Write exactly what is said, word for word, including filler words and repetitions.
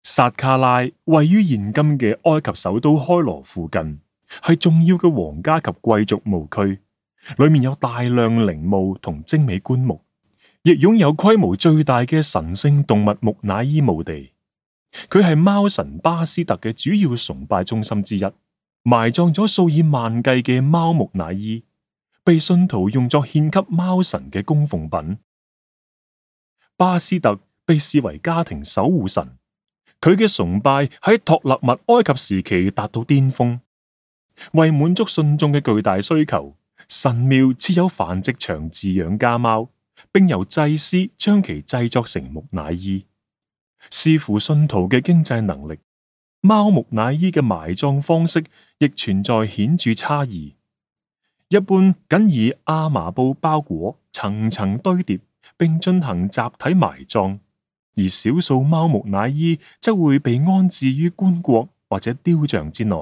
薩卡拉位於現今嘅埃及首都開羅附近，係重要嘅皇家及貴族墓區，裏面有大量陵墓同精美棺木，亦擁有規模最大嘅神聖動物木乃伊墓地。佢係貓神巴斯特嘅主要崇拜中心之一，埋葬咗數以萬計嘅貓木乃伊，被信徒用作獻給貓神嘅供奉品。巴斯特被視為家庭守護神，佢嘅崇拜喺托勒密埃及時期達到巔峰。為滿足信眾嘅巨大需求，神廟設有繁殖場飼養家貓，並由祭司將其製作成木乃伊。視乎信徒嘅經濟能力，貓木乃伊嘅埋葬方式亦存在顯著差異。一般僅以亞麻布包裹，層層堆疊，並進行集體埋葬，而少數貓木乃伊則會被安置於棺槨或者雕像之內。